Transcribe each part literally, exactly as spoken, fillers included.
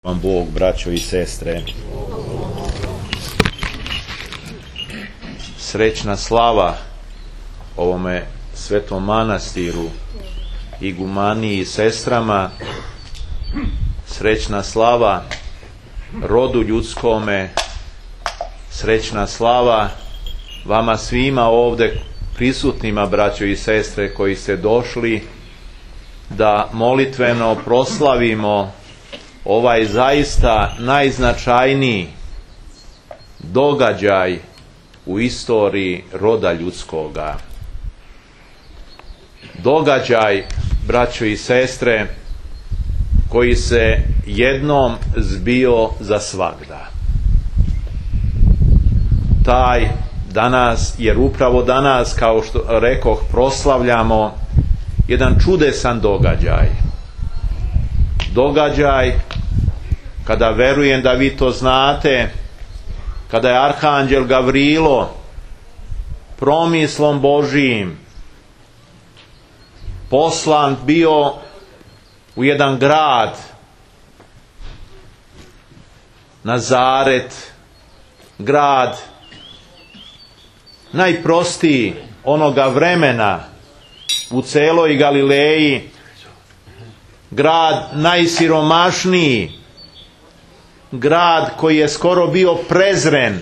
vam Bog, braćo i sestre. Srećna slava ovome svetom manastiru, igumaniji i sestrama, srećna slava rodu ljudskome, srećna slava vama svima ovdje prisutnima, braćo i sestre, koji ste došli da molitveno proslavimo ovaj zaista najznačajniji događaj u istoriji roda ljudskoga. Događaj, braćo i sestre, koji se jednom zbio za svagda. Taj danas, jer upravo danas, kao što rekoh, proslavljamo jedan čudesan događaj. Događaj kada, verujem da vi to znate, kada je arhanđel Gavrilo promislom Božijim poslan bio u jedan grad, Nazaret, grad najprostiji onoga vremena u celoj Galileji, grad najsiromašniji, grad koji je skoro bio prezren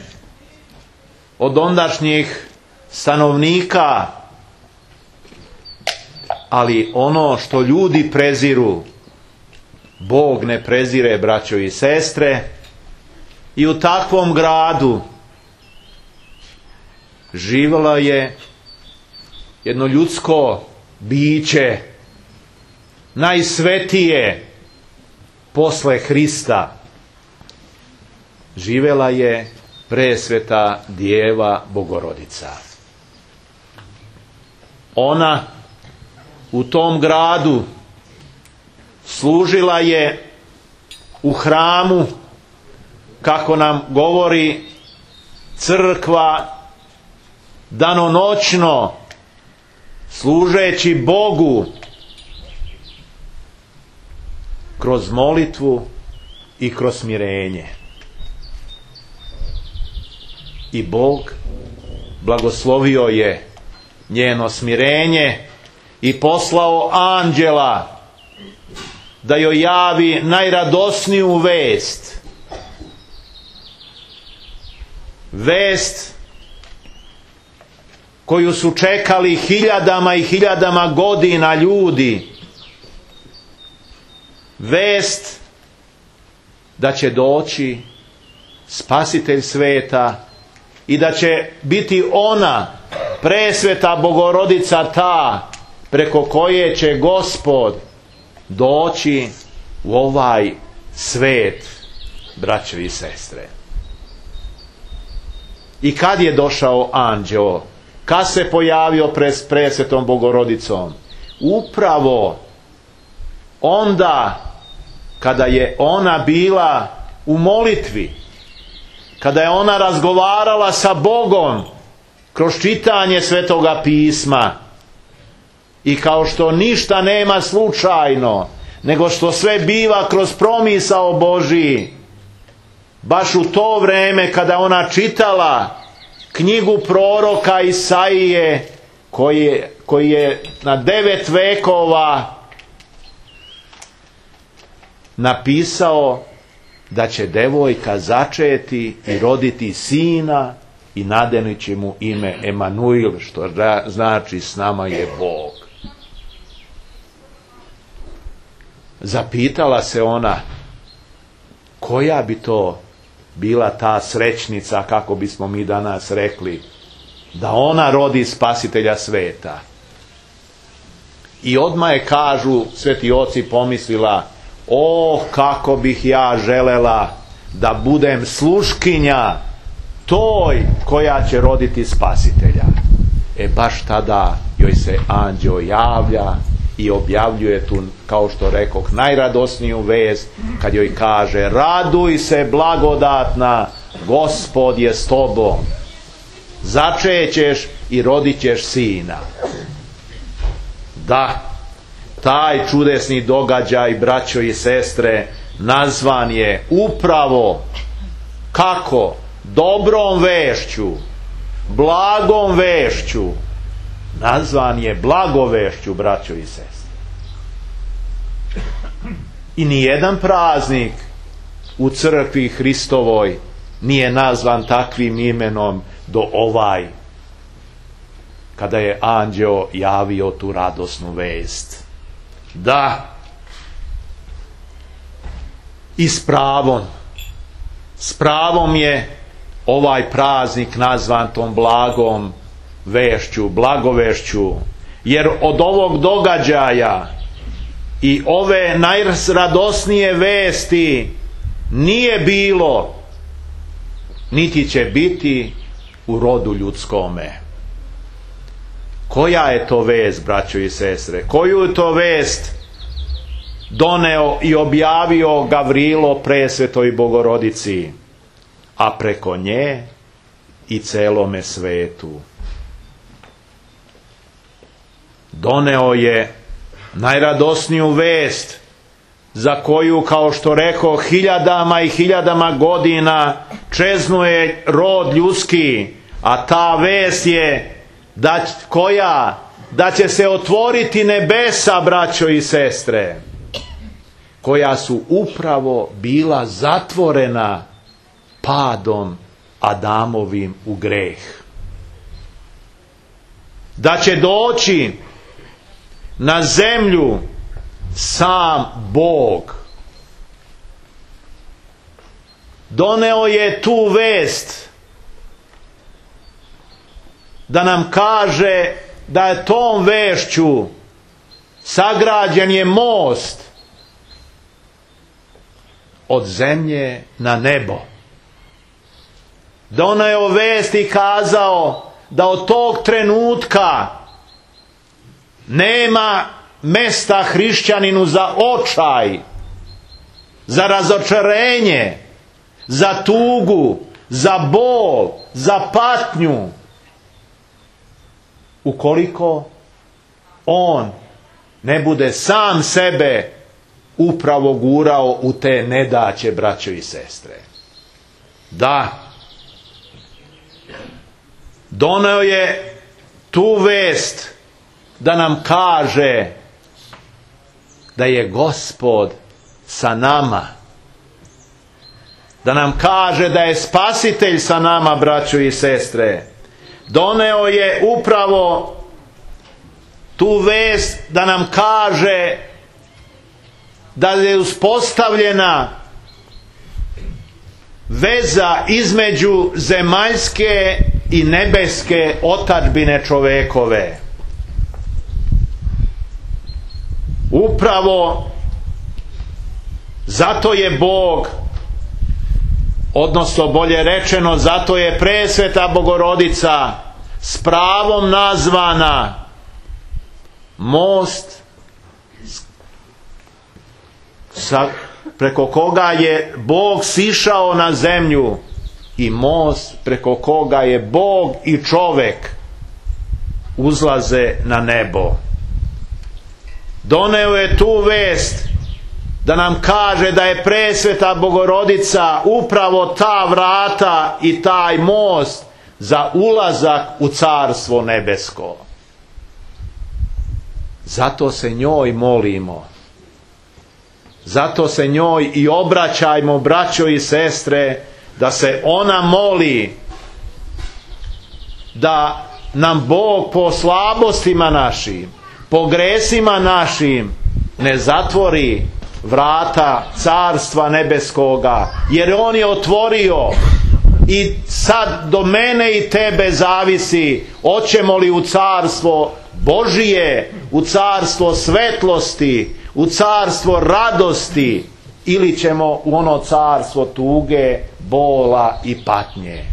od ondašnjih stanovnika, ali ono što ljudi preziru, Bog ne prezire, braćo i sestre. I u takvom gradu živjelo je jedno ljudsko biće, najsvetije posle Hrista. Živjela je presveta Djeva Bogorodica. Ona u tom gradu služila je u hramu, kako nam govori crkva, danonoćno, služeći Bogu kroz molitvu i kroz smirenje. I Bog blagoslovio je njeno smirenje i poslao anđela da joj javi najradosniju vest. Vest koju su čekali hiljadama i hiljadama godina ljudi. Vest da će doći Spasitelj sveta i da će biti ona, presveta Bogorodica, ta preko koje će Gospod doći u ovaj svet, braćo i sestre. I kad je došao anđeo? Kad se pojavio pred presvetom Bogorodicom? Upravo onda kada je ona bila u molitvi, kada je ona razgovarala sa Bogom kroz čitanje Svetoga pisma. I kao što ništa nema slučajno, nego što sve biva kroz promisao Božiji, baš u to vrijeme kada ona čitala knjigu proroka Isaije, koji je, koji je na devet vekova napisao da će devojka začeti i roditi sina i nadenit će mu ime Emanuil, što znači s nama je Bog. Zapitala se ona, koja bi to bila ta srećnica, kako bismo mi danas rekli, da ona rodi Spasitelja sveta. I odmah je, kažu sveti oci, pomislila, o, kako bih ja želela da budem sluškinja toj koja će roditi Spasitelja. E baš tada joj se anđeo javlja i objavljuje tu, kao što rekoh, najradosniju vest, kad joj kaže: raduj se, blagodatna, Gospod je s tobom, začećeš i rodit ćeš sina. Da, taj čudesni događaj, braćo i sestre, nazvan je upravo kako? Dobrom vešću, blagom vešću. Nazvan je blagovešću, braćo i sestre. I nijedan praznik u crkvi Hristovoj nije nazvan takvim imenom do ovaj, kada je anđeo javio tu radosnu vest. Da, i s pravom, s pravom je ovaj praznik nazvan tom blagom vešću, blagovešću, jer od ovog događaja i ove najradosnije vesti nije bilo, niti će biti u rodu ljudskome. Koja je to vest, braćo i sestre? Koju to vest doneo i objavio Gavrilo presvetoj Bogorodici, a preko nje i celome svetu? Doneo je najradosniju vest, za koju, kao što rekao, hiljadama i hiljadama godina čeznuje rod ljudski, a ta vest je da, koja? Da će se otvoriti nebesa, braćo i sestre, koja su upravo bila zatvorena padom Adamovim u greh. Da će doći na zemlju sam Bog. Doneo je tu vest da nam kaže da je tom vešću sagrađen je most od zemlje na nebo. Doneo vest i kazao da od tog trenutka nema mesta hrišćaninu za očaj, za razočarenje, za tugu, za bol, za patnju, ukoliko on ne bude sam sebe upravo gurao u te nedaće, braćo i sestre. Da, doneo je tu vest da nam kaže da je Gospod sa nama, da nam kaže da je Spasitelj sa nama, braćo i sestre. Doneo je upravo tu vest da nam kaže da je uspostavljena veza između zemaljske i nebeske otadžbine čovekove. Upravo zato je Bog, odnosno bolje rečeno, zato je presveta Bogorodica s pravom nazvana most sa, preko koga je Bog sišao na zemlju, i most preko koga je Bog i čovek uzlaze na nebo. Doneo je tu vest da nam kaže da je presveta Bogorodica upravo ta vrata i taj most za ulazak u Carstvo nebesko. Zato se njoj molimo. Zato se njoj i obraćajmo, braćo i sestre, da se ona moli da nam Bog po slabostima našim, po gresima našim ne zatvori vrata Carstva nebeskoga, jer on je otvorio. I sad do mene i tebe zavisi, hoćemo li u Carstvo Božije, u Carstvo svetlosti, u Carstvo radosti, ili ćemo u ono carstvo tuge, bola i patnje.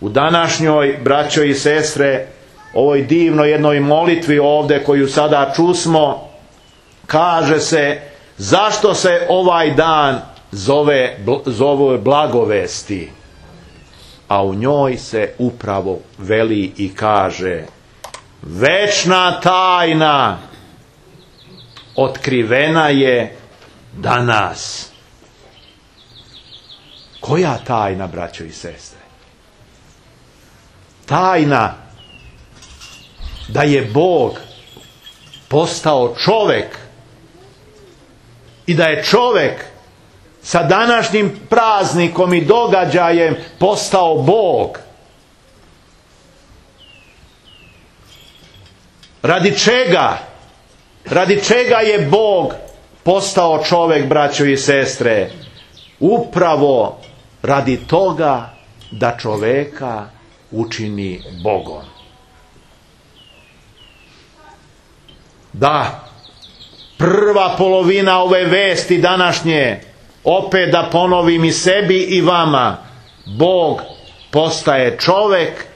U današnjoj, braćo i sestre, ovoj divnoj jednoj molitvi ovdje koju sada čusmo, kaže se zašto se ovaj dan zove, zove blagovesti, a u njoj se upravo veli i kaže: večna tajna otkrivena je danas. Koja tajna, braćo i sestre? Tajna da je Bog postao čovek i da je čovek sa današnjim praznikom i događajem postao Bog. Radi čega? Radi čega je Bog postao čovek, braćo i sestre? Upravo radi toga da čoveka učini Bogom. Da, prva polovina ove vesti današnje, opet da ponovim i sebi i vama, Bog postaje čovek,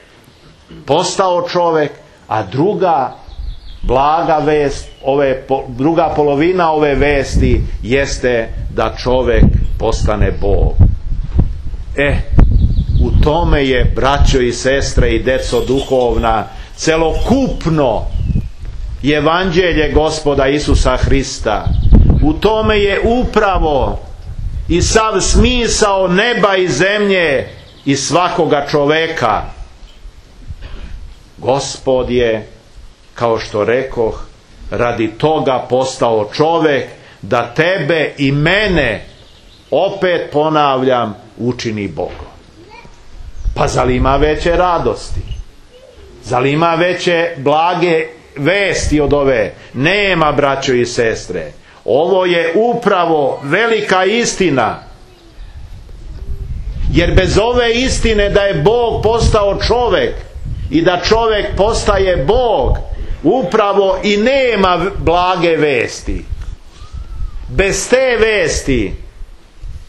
postao čovek, a druga blaga vest, ove, druga polovina ove vesti jeste da čovek postane Bog. E, u tome je, braćo i sestre i deco duhovna, celokupno evanđelje Gospoda Isusa Hrista. U tome je upravo i sav smisao neba i zemlje i svakoga čoveka. Gospod je, kao što rekoh, radi toga postao čovek, da tebe i mene, opet ponavljam, učini Bogom. Pa zar ima veće radosti? Zar ima veće blage vesti od ove? Nema, braćo i sestre. Ovo je upravo velika istina. Jer bez ove istine da je Bog postao čovek i da čovek postaje Bog, upravo i nema blage vesti. Bez te vesti,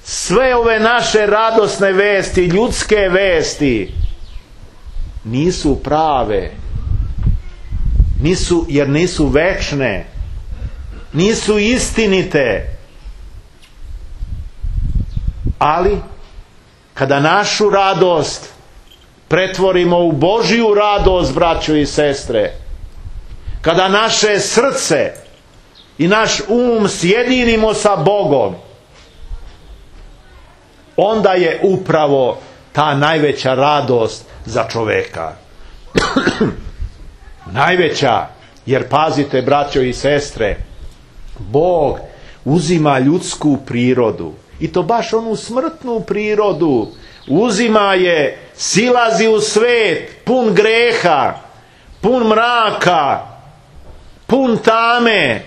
sve ove naše radosne vesti, ljudske vesti, nisu prave. Nisu, jer nisu večne. Nisu istinite. Ali, kada našu radost pretvorimo u Božju radost, braćo i sestre, kada naše srce i naš um sjedinimo sa Bogom, onda je upravo ta najveća radost za čoveka. Najveća, jer pazite, braćo i sestre, Bog uzima ljudsku prirodu, i to baš onu smrtnu prirodu, uzima je, silazi u svet pun greha, pun mraka, pun tame,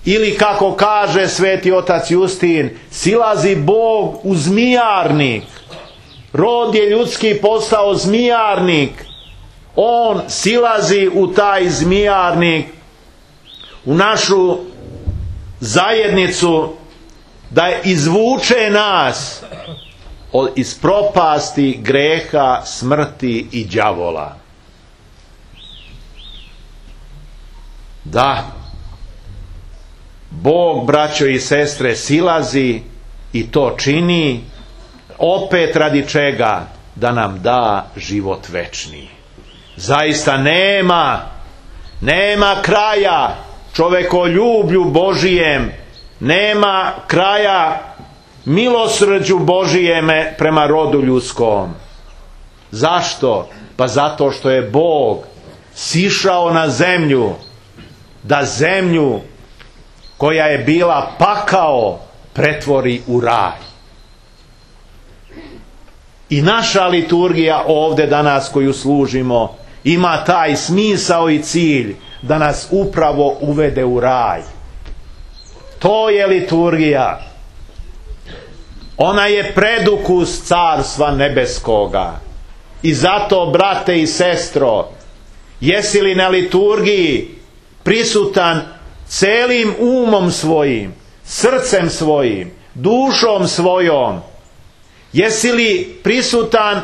ili kako kaže sveti otac Justin, silazi Bog u zmijarnik. Rod je ljudski postao zmijarnik. On silazi u taj zmijarnik, u našu zajednicu, da izvuče nas iz propasti, greha, smrti i đavola. Da, Bog, braćo i sestre, silazi i to čini opet radi čega? Da nam da život večni. Zaista nema, nema kraja čovekoljublju Božijem, nema kraja milosrđu Božijeme prema rodu ljudskom. Zašto? Pa zato što je Bog sišao na zemlju, da zemlju koja je bila pakao pretvori u raj. I naša liturgija ovdje danas koju služimo ima taj smisao i cilj da nas upravo uvede u raj. To je liturgija. Ona je predukus carstva nebeskoga. I zato, brate i sestro, jesi li na liturgiji prisutan celim umom svojim, srcem svojim, dušom svojom? Jesi li prisutan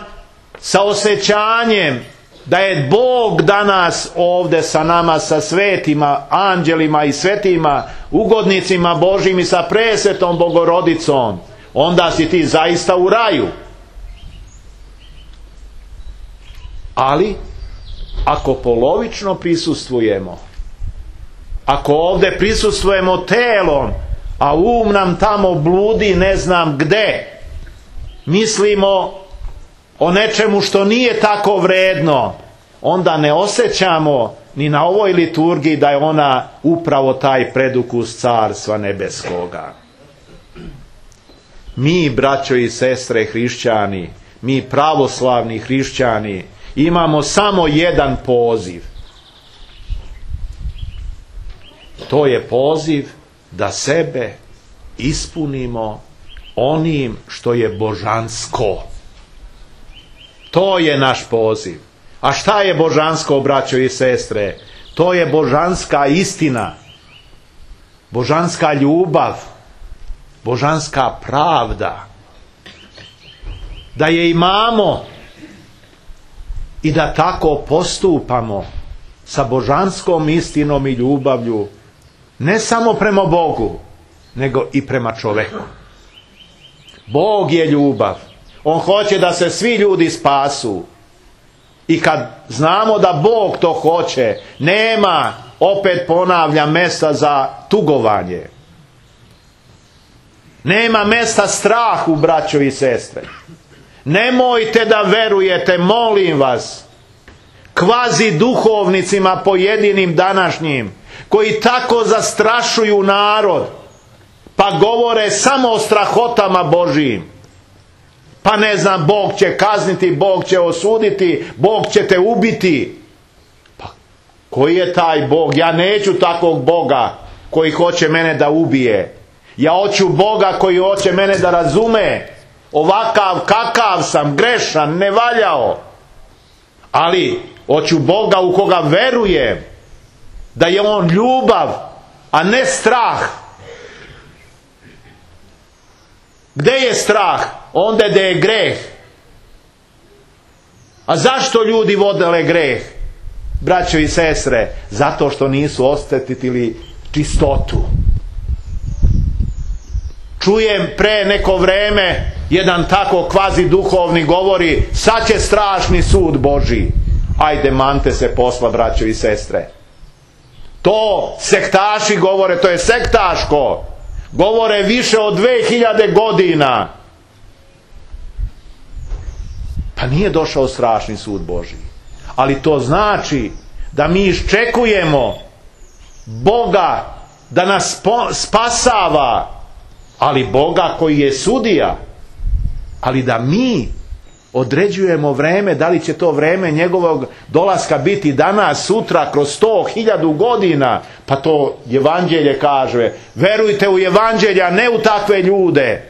sa osjećanjem da je Bog danas ovdje sa nama, sa svetima, anđelima i svetima, ugodnicima Božjim i sa presvetom Bogorodicom? Onda si ti zaista u raju. Ali, ako polovično prisustvujemo, ako ovdje prisustvujemo telom, a um nam tamo bludi ne znam gde, mislimo o nečemu što nije tako vredno, onda ne osjećamo ni na ovoj liturgiji da je ona upravo taj predukus Carstva nebeskoga. Mi, braćo i sestre hrišćani, mi pravoslavni hrišćani, imamo samo jedan poziv. To je poziv da sebe ispunimo onim što je božansko. To je naš poziv. A šta je božansko, braćo i sestre? To je božanska istina, božanska ljubav, božanska pravda. Da je imamo i da tako postupamo sa božanskom istinom i ljubavlju, ne samo prema Bogu, nego i prema čoveku. Bog je ljubav. On hoće da se svi ljudi spasu. I kad znamo da Bog to hoće, nema, opet ponavljam, mesta za tugovanje. Nema mesta strahu, braćo i sestre. Nemojte da verujete, molim vas, kvazi duhovnicima pojedinim današnjim, koji tako zastrašuju narod, pa govore samo o strahotama Božijim. Pa ne znam, Bog će kazniti, Bog će osuditi, Bog će te ubiti. Pa koji je taj Bog? Ja neću takvog Boga koji hoće mene da ubije. Ja hoću Boga koji hoće mene da razume. Ovakav kakav sam, grešan, ne valjao. Ali hoću Boga u koga verujem, da je on ljubav, a ne strah. Gde je strah? Onda gde je greh. A zašto ljudi vodele greh, braćo i sestre? Zato što nisu osjetili čistotu. Čujem pre neko vreme jedan tako kvazi duhovni govori, sad će strašni sud Božji. Ajde, mante se posla, braćo i sestre. To sektaši govore, to je sektaško. Govore više od dve hiljade godina. Pa nije došao strašni sud Božji. Ali to znači da mi iščekujemo Boga da nas spasava, ali Boga koji je sudija. Ali da mi određujemo vreme, da li će to vreme njegovog dolaska biti danas, sutra, kroz sto hiljadu godina. Pa to evanđelje kaže. Verujte u evanđelje, a ne u takve ljude.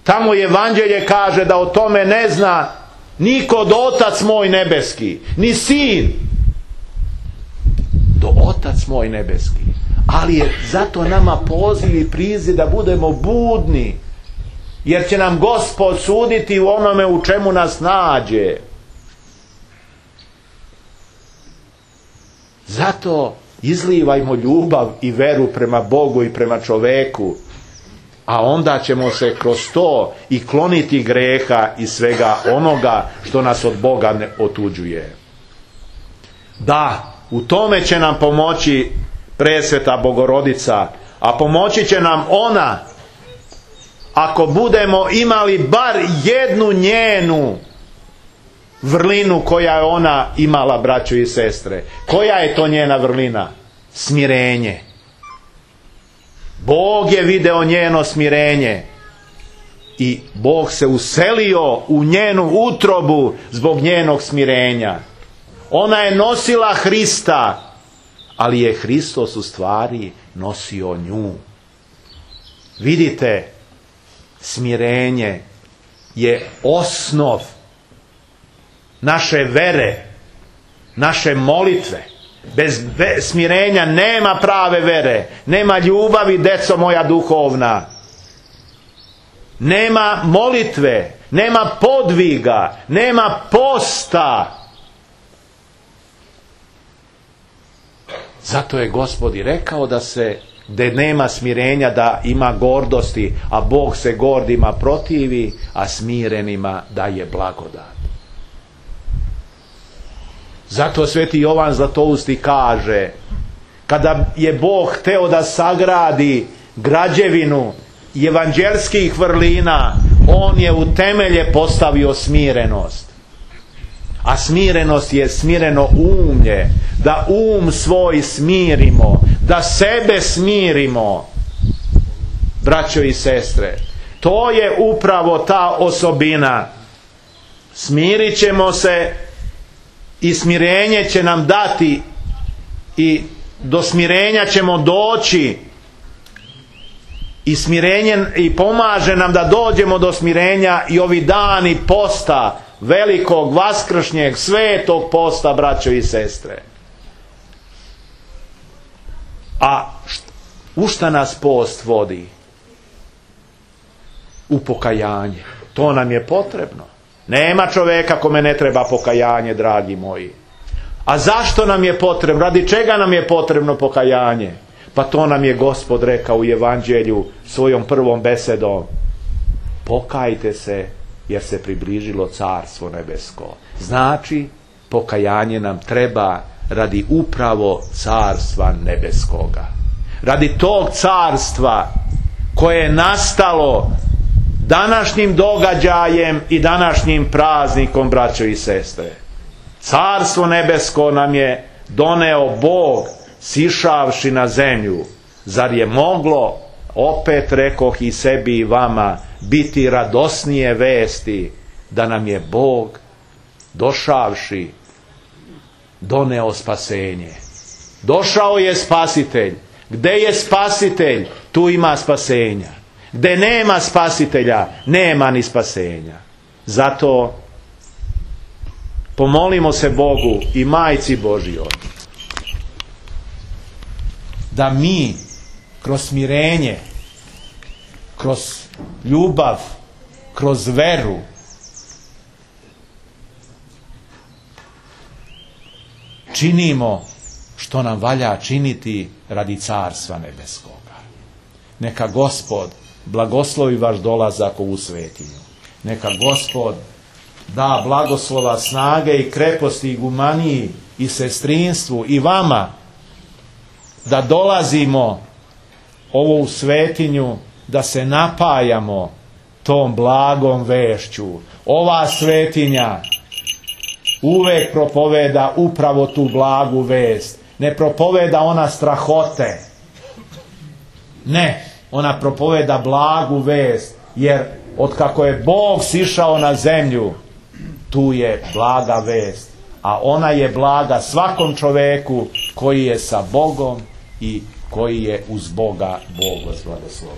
Tamo evanđelje kaže da o tome ne zna niko do Otac moj nebeski, ni Sin, do Otac moj nebeski. Ali je zato nama poziv i priziv da budemo budni, jer će nam Gospod suditi u onome u čemu nas nađe. Zato izlivajmo ljubav i veru prema Bogu i prema čoveku, a onda ćemo se kroz to i kloniti greha i svega onoga što nas od Boga ne otuđuje. Da, u tome će nam pomoći presveta Bogorodica, a pomoći će nam ona ako budemo imali bar jednu njenu vrlinu koja je ona imala, braćo i sestre. Koja je to njena vrlina? Smirenje. Bog je video njeno smirenje i Bog se uselio u njenu utrobu zbog njenog smirenja. Ona je nosila Hrista, ali je Hristos u stvari nosio nju. Vidite, smirenje je osnov naše vere, naše molitve. Bez smirenja nema prave vere, nema ljubavi, deco moja duhovna, nema molitve, nema podviga, nema posta. Zato je Gospod i rekao da se, da nema smirenja, da ima gordosti, a Bog se gordima protivi, a smirenima daje blagodat. Zato sveti Jovan Zlatousti kaže, kada je Bog hteo da sagradi građevinu evanđelskih vrlina, on je u temelje postavio smirenost. A smirenost je smireno umlje, da um svoj smirimo, da sebe smirimo, braćo i sestre. To je upravo ta osobina. Smirit ćemo se i smirenje će nam dati, i do smirenja ćemo doći, i smirenje i pomaže nam da dođemo do smirenja i ovi dani posta, velikog vaskršnjeg svetog posta, braćo i sestre. A u šta nas post vodi? U pokajanje. To nam je potrebno. Nema čoveka kome ne treba pokajanje, dragi moji. A zašto nam je potrebno? Radi čega nam je potrebno pokajanje? Pa to nam je Gospod rekao u Evanđelju svojom prvom besedom. Pokajte se, jer se približilo Carstvo nebesko. Znači, pokajanje nam treba radi upravo Carstva nebeskoga. Radi tog carstva koje je nastalo današnjim događajem i današnjim praznikom, braćo i sestre. Carstvo nebesko nam je doneo Bog, sišavši na zemlju. Zar je moglo, opet rekoh i sebi i vama, biti radosnije vesti da nam je Bog, došavši, doneo spasenje? Došao je spasitelj. Gde je spasitelj, tu ima spasenja. Gde nema spasitelja, nema ni spasenja. Zato pomolimo se Bogu i Majci Božjoj da mi kroz smirenje, kroz ljubav, kroz veru činimo što nam valja činiti radi Carstva nebeskoga. Neka Gospod blagoslovi vaš dolazak u svetinju. Neka Gospod da blagoslova, snage i kreposti i gumaniji i sestrinstvu i vama da dolazimo ovo u svetinju, da se napajamo tom blagom vešću. Ova svetinja uvek propoveda upravo tu blagu vest. Ne propoveda ona strahote. Ne, ona propoveda blagu vest, jer od kako je Bog sišao na zemlju, tu je blaga vest. A ona je blaga svakom čoveku koji je sa Bogom i koji je uz Boga Bog vas blagoslovio.